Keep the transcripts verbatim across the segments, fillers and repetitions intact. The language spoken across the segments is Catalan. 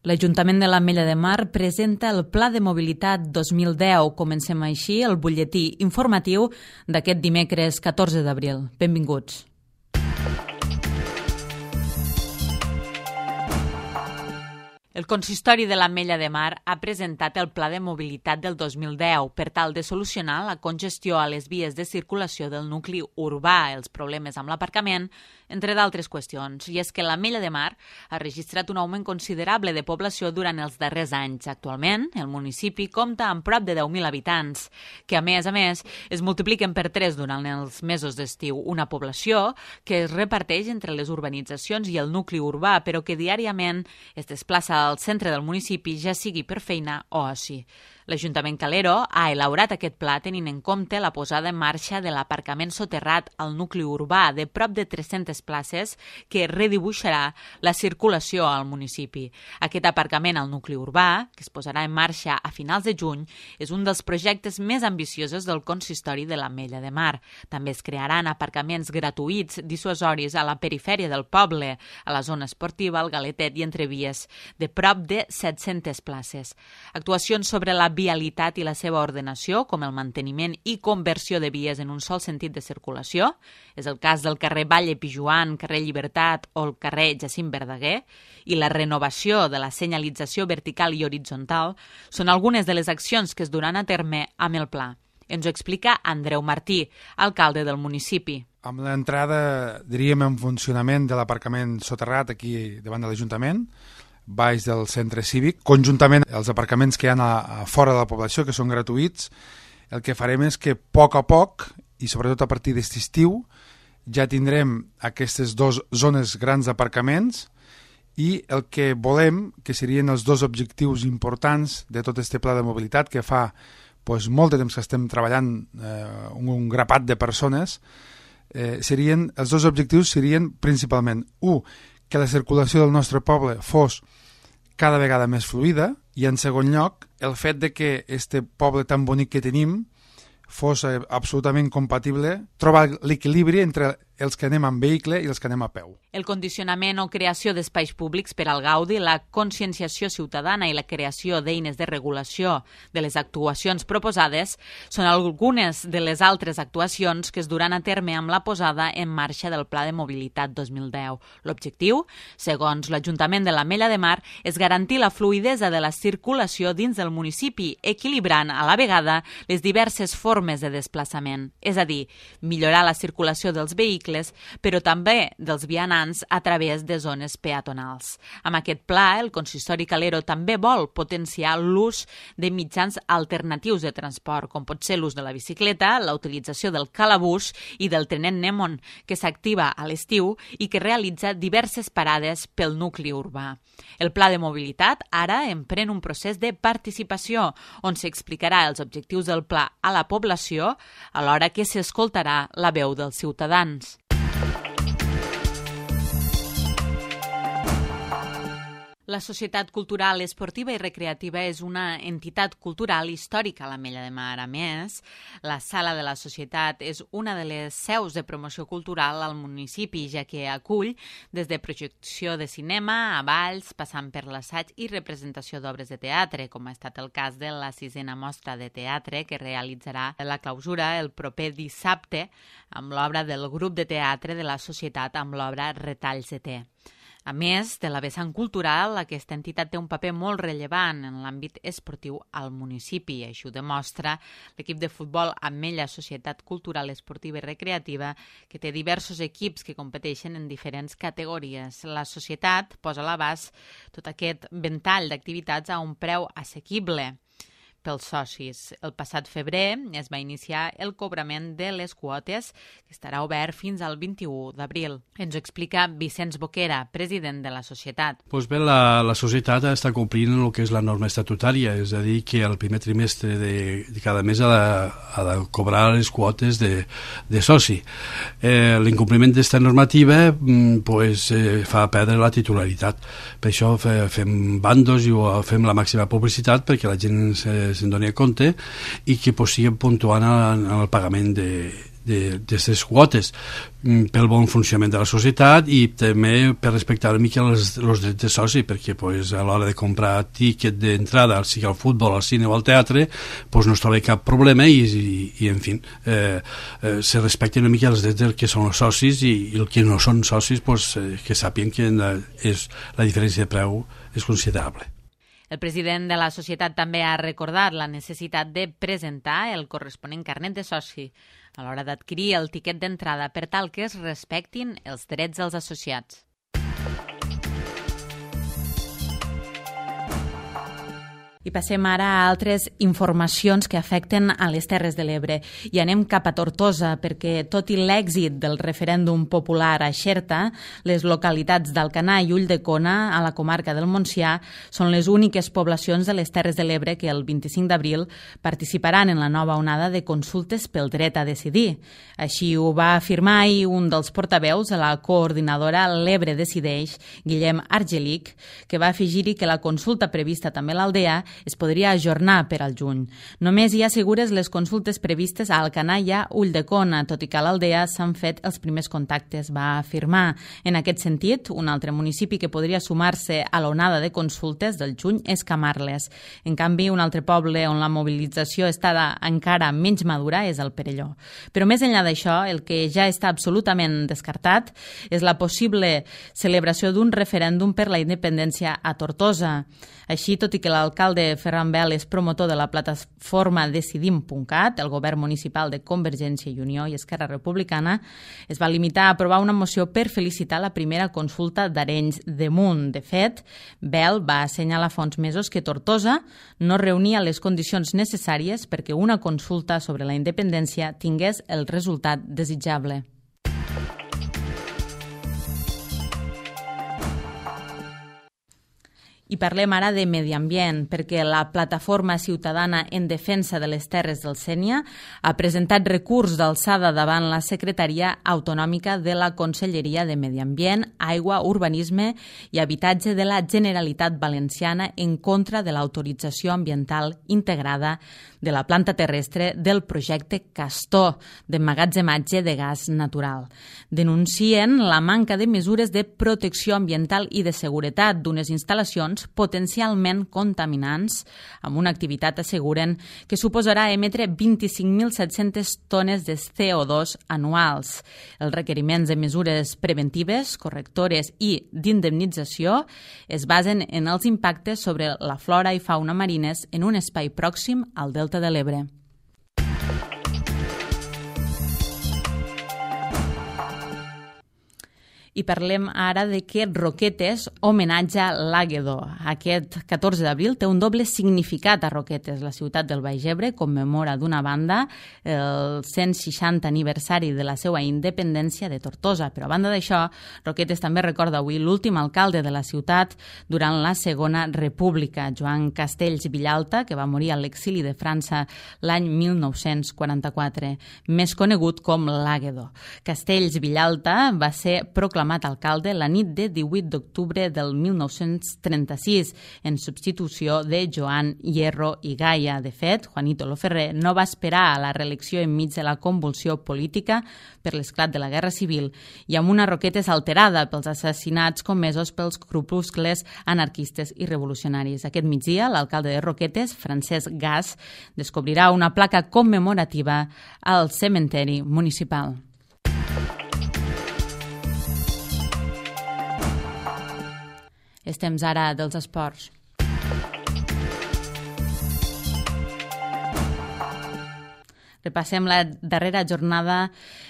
L'Ajuntament de l'Ametlla de Mar presenta el Pla de Mobilitat dos mil deu. Comencem així el butlletí informatiu d'aquest dimecres catorze d'abril. Benvinguts. El Consistori de l'Ametlla de Mar ha presentat el Pla de Mobilitat del dos mil deu per tal de solucionar la congestió a les vies de circulació del nucli urbà, els problemes amb l'aparcament, entre d'altres qüestions. I és que l'Ametlla de Mar ha registrat un augment considerable de població durant els darrers anys. Actualment, el municipi compta amb prop de deu mil habitants, que a més a més es multipliquen per tres durant els mesos d'estiu. Una població que es reparteix entre les urbanitzacions i el nucli urbà, però que diàriament es desplaça al centre del municipi, ja sigui per feina o oci. L'Ajuntament Calero ha elaborat aquest pla tenint en compte la posada en marxa de l'aparcament soterrat al nucli urbà de prop de tres-centes places que redibuixarà la circulació al municipi. Aquest aparcament al nucli urbà, que es posarà en marxa a finals de juny, és un dels projectes més ambiciosos del Consistori de l'Ametlla de Mar. També es crearan aparcaments gratuïts dissuasoris a la perifèria del poble, a la zona esportiva, al Galetet i entre vies, de prop de set-centes places. Actuacions sobre la vialitat i la seva ordenació, com el manteniment i conversió de vies en un sol sentit de circulació, és el cas del carrer Valle Pijuan, carrer Llibertat o el carrer Jacint Verdaguer, i la renovació de la senyalització vertical i horitzontal, són algunes de les accions que es duran a terme amb el pla. Ens ho explica Andreu Martí, alcalde del municipi. Amb l'entrada, diríem, en funcionament de l'aparcament soterrat aquí davant de l'Ajuntament, baix del centre cívic, conjuntament els aparcaments que hi ha a, a fora de la població, que són gratuïts, el que farem és que a poc a poc, i sobretot a partir d'aquest estiu, ja tindrem aquestes dues zones grans d'aparcaments i el que volem, que serien els dos objectius importants de tot aquest pla de mobilitat, que fa doncs, molt de temps que estem treballant eh, un, un grapat de persones, eh, serien, els dos objectius serien principalment, un, que la circulació del nostre poble fos cada vegada més fluida i, en segon lloc, el fet de que este poble tan bonic que tenim fos absolutament compatible, trobar l'equilibri entre els que anem amb vehicle i els que anem a peu. El condicionament o creació d'espais públics per al gaudi, la conscienciació ciutadana i la creació d'eines de regulació de les actuacions proposades són algunes de les altres actuacions que es duran a terme amb la posada en marxa del Pla de Mobilitat dos mil deu. L'objectiu, segons l'Ajuntament de l'Ametlla de Mar, és garantir la fluïdesa de la circulació dins del municipi, equilibrant a la vegada les diverses formes de desplaçament, és a dir, millorar la circulació dels vehicles però també dels vianants a través de zones peatonals. Amb aquest pla, el Consistori Calero també vol potenciar l'ús de mitjans alternatius de transport, com pot ser l'ús de la bicicleta, la utilització del calabús i del trenet Nemon, que s'activa a l'estiu i que realitza diverses parades pel nucli urbà. El pla de mobilitat ara emprèn un procés de participació, on s'explicarà els objectius del pla a la població, alhora que s'escoltarà la veu dels ciutadans. La Societat Cultural, Esportiva i Recreativa és una entitat cultural històrica a l'Ametlla de Mar. A més, la Sala de la Societat és una de les seus de promoció cultural al municipi, ja que acull des de projecció de cinema a balls, passant per l'assaig i representació d'obres de teatre, com ha estat el cas de la sisena mostra de teatre que realitzarà la clausura el proper dissabte amb l'obra del grup de teatre de la Societat amb l'obra Retalls de te. A més de la vessant cultural, aquesta entitat té un paper molt rellevant en l'àmbit esportiu al municipi. Això ho demostra l'equip de futbol Ametlla Societat Cultural, Esportiva i Recreativa, que té diversos equips que competeixen en diferents categories. La societat posa a l'abast tot aquest ventall d'activitats a un preu assequible pels socis. El passat febrer es va iniciar el cobrament de les quotes, que estarà obert fins al vint-i-u d'abril. Ens ho explica Vicenç Boquera, president de la societat. Pues bé, la, la societat està complint el que és la norma estatutària, és a dir, que el primer trimestre de, de cada mes ha de, ha de cobrar les quotes de, de soci. Eh, L'incompliment d'esta normativa pues, eh, fa perdre la titularitat. Per això fe, fem bandos i fem la màxima publicitat perquè la gent se se'n doni compte i que pues, siguin puntuant en el pagament de, d'aquestes quotes pel bon funcionament de la societat i també per respectar una mica els, els drets de soci, perquè pues, a l'hora de comprar tiquet d'entrada, sigui al futbol, al cine o al teatre, pues, no es troba cap problema i, i, i en fi, eh, eh, se respecten una mica els drets del que són els socis i, i el que no són socis pues, eh, que sàpien que la, és, la diferència de preu és considerable. El president de la societat també ha recordat la necessitat de presentar el corresponent carnet de soci a l'hora d'adquirir el tiquet d'entrada per tal que es respectin els drets dels associats. I passem ara a altres informacions que afecten a les Terres de l'Ebre. I anem cap a Tortosa, perquè tot i l'èxit del referèndum popular a Xerta, les localitats d'Alcanar i Ulldecona, a la comarca del Montsià, són les úniques poblacions de les Terres de l'Ebre que el vint-i-cinc d'abril participaran en la nova onada de consultes pel dret a decidir. Així ho va afirmar ahir un dels portaveus de la coordinadora L'Ebre Decideix, Guillem Argelic, que va afegir-hi que la consulta prevista també a l'Aldea es podria ajornar per al juny. Només hi ha segures les consultes previstes a Alcanar i a Ulldecona, tot i que a l'Aldea s'han fet els primers contactes, va afirmar. En aquest sentit, un altre municipi que podria sumar-se a l'onada de consultes del juny és Camarles. En canvi, un altre poble on la mobilització està encara menys madura és el Perelló. Però més enllà d'això, el que ja està absolutament descartat és la possible celebració d'un referèndum per la independència a Tortosa. Així, tot i que l'alcalde Ferran Bel és promotor de la plataforma Decidim punt cat, el govern municipal de Convergència i Unió i Esquerra Republicana es va limitar a aprovar una moció per felicitar la primera consulta d'Arenys de Munt. De fet, Bel va assenyalar fa uns mesos que Tortosa no reunia les condicions necessàries perquè una consulta sobre la independència tingués el resultat desitjable. I parlem ara de medi ambient, perquè la Plataforma Ciutadana en Defensa de les Terres del Sénia ha presentat recurs d'alçada davant la Secretaria Autonòmica de la Conselleria de Medi Ambient, Aigua, Urbanisme i Habitatge de la Generalitat Valenciana en contra de l'autorització ambiental integrada de la planta terrestre del projecte Castor, d'emmagatzematge de gas natural. Denuncien la manca de mesures de protecció ambiental i de seguretat d'unes instal·lacions potencialment contaminants, amb una activitat, asseguren, que suposarà emetre vint-i-cinc mil set-centes tones de C O dos anuals. Els requeriments de mesures preventives, correctores i d'indemnització es basen en els impactes sobre la flora i fauna marines en un espai pròxim al Delta de l'Ebre. I parlem ara de que Roquetes homenatja l'Àguedo. Aquest catorze d'abril té un doble significat a Roquetes. La ciutat del Baix Ebre commemora d'una banda el cent seixanta aniversari de la seva independència de Tortosa, però a banda d'això, Roquetes també recorda avui l'últim alcalde de la ciutat durant la Segona República, Joan Castells Villalta, que va morir a l'exili de França l'any mil nou-cents quaranta-quatre, més conegut com l'Àguedo. Castells Villalta va ser proclamat alcalde la nit de divuit d'octubre del mil nou-cents trenta-sis, en substitució de Joan Hierro i Gaia. De fet, Juanito Loferrer no va esperar a la reelecció enmig de la convulsió política per l'esclat de la Guerra Civil i amb una Roquetes alterada pels assassinats comesos pels grupuscles anarquistes i revolucionaris. Aquest migdia, l'alcalde de Roquetes, Francesc Gas, descobrirà una placa commemorativa al cementeri municipal. És temps ara dels esports. Repassem la darrera jornada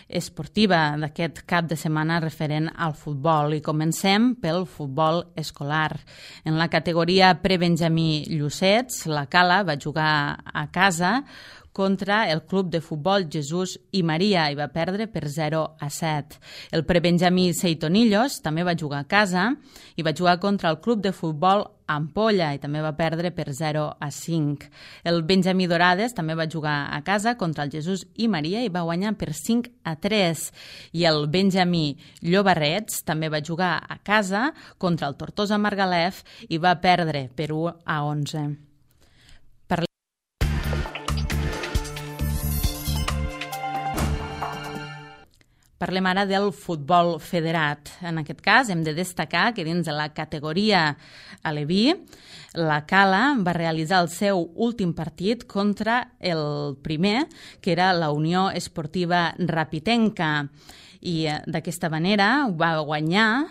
esportiva d'aquest cap de setmana referent al futbol i comencem pel futbol escolar. En la categoria prebenjamí Llucets, la Cala va jugar a casa contra el club de futbol Jesús i Maria i va perdre per zero a set. El prebenjamí Seitonillos també va jugar a casa i va jugar contra el club de futbol Ampolla i també va perdre per zero a cinc. El Benjamí Dorades també va jugar a casa contra el Jesús i Maria i va guanyar per cinc a tres. I el Benjamí Llobarrets també va jugar a casa contra el Tortosa Margalef i va perdre per u a onze. Parlem ara del futbol federat. En aquest cas hem de destacar que dins de la categoria aleví, la Cala va realitzar el seu últim partit contra el primer, que era la Unió Esportiva Rapitenca. I d'aquesta manera va guanyar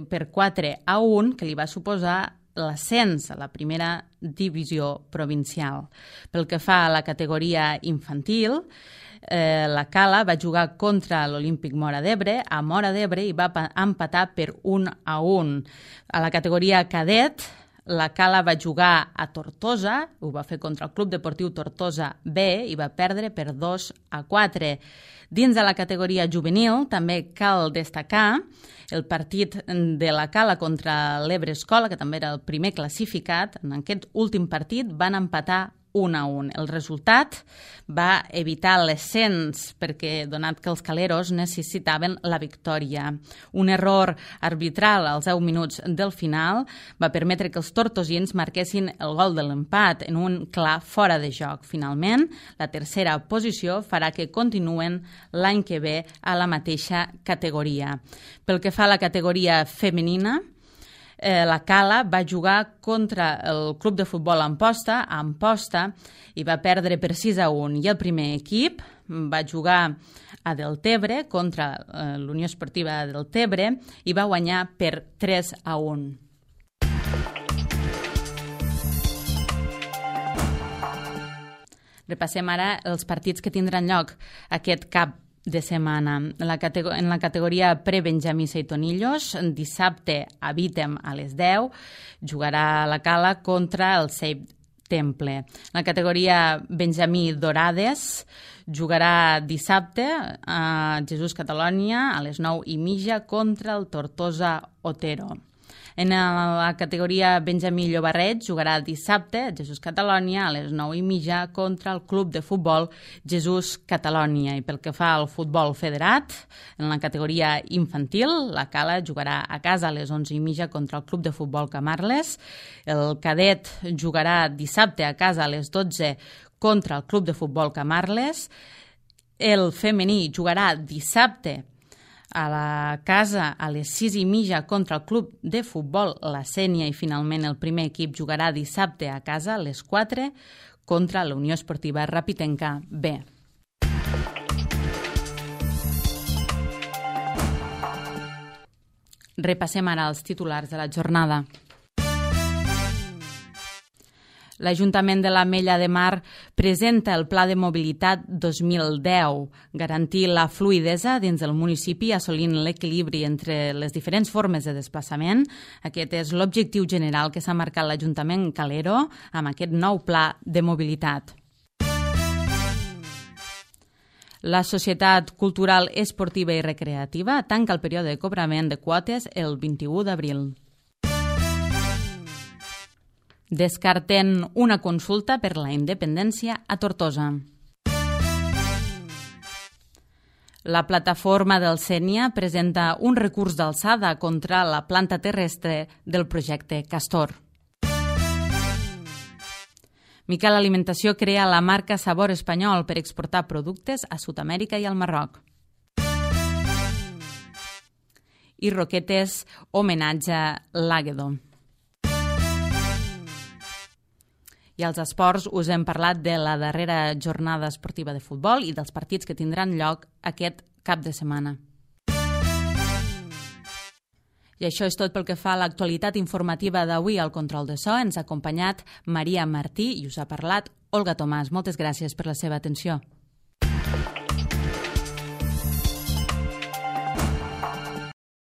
per quatre a un, que li va suposar l'ascens a la primera divisió provincial. Pel que fa a la categoria infantil, eh, la Cala va jugar contra l'Olímpic Móra d'Ebre a Móra d'Ebre i va empatar per un a un. A la categoria cadet, la Cala va jugar a Tortosa, ho va fer contra el Club Deportiu Tortosa B i va perdre per dos a quatre. Dins de la categoria juvenil també cal destacar el partit de la Cala contra l'Ebre Escola, que també era el primer classificat. En aquest últim partit van empatar un a un. El resultat va evitar l'ascens perquè, donat que els caleros necessitaven la victòria. Un error arbitral als deu minuts del final va permetre que els tortosins marquessin el gol de l'empat en un clar fora de joc. Finalment, la tercera posició farà que continuen l'any que ve a la mateixa categoria. Pel que fa a la categoria femenina, Eh, la Cala va jugar contra el club de futbol Amposta, a Amposta, i va perdre per sis a un. I el primer equip va jugar a Deltebre contra eh, l'Unió Esportiva de Deltebre i va guanyar per tres a un. Repassem ara els partits que tindran lloc aquest cap de setmana. En la, en la categoria pre-Benjamí Seitonillos, dissabte a Vítem a les deu, jugarà la Cala contra el Save Temple. En la categoria Benjamí Dorades, jugarà dissabte a Jesús Catalònia a les nou i mitja contra el Tortosa Otero. En la categoria Benjamí Llobarret jugarà dissabte a Jesús Catalònia a les nou i mitja contra el club de futbol Jesús Catalònia. I pel que fa al futbol federat, en la categoria infantil, la Cala jugarà a casa a les onze i mitja contra el club de futbol Camarles. El cadet jugarà dissabte a casa a les dotze contra el club de futbol Camarles. El femení jugarà dissabte a la casa a les sis i mitja contra el club de futbol La Sénia i finalment el primer equip jugarà dissabte a casa a les quatre contra la Unió Esportiva Rapitenca B. Repassem ara els titulars de la jornada. L'Ajuntament de l'Ametlla de Mar presenta el Pla de Mobilitat dos mil deu, garantir la fluidesa dins del municipi assolint l'equilibri entre les diferents formes de desplaçament. Aquest és l'objectiu general que s'ha marcat l'Ajuntament Calero amb aquest nou Pla de Mobilitat. La Societat Cultural Esportiva i Recreativa tanca el període de cobrament de quotes el vint-i-u d'abril. Descarten una consulta per la independència a Tortosa. La plataforma del Sénia presenta un recurs d'alçada contra la planta terrestre del projecte Castor. Miquel Alimentació crea la marca Sabor Espanyol per exportar productes a Sud-amèrica i al Marroc. I Roquetes homenatja l'Àguedo. I als esports us hem parlat de la darrera jornada esportiva de futbol i dels partits que tindran lloc aquest cap de setmana. I això és tot pel que fa a l'actualitat informativa d'avui al control de so. Ens ha acompanyat Maria Martí i us ha parlat Olga Tomàs. Moltes gràcies per la seva atenció.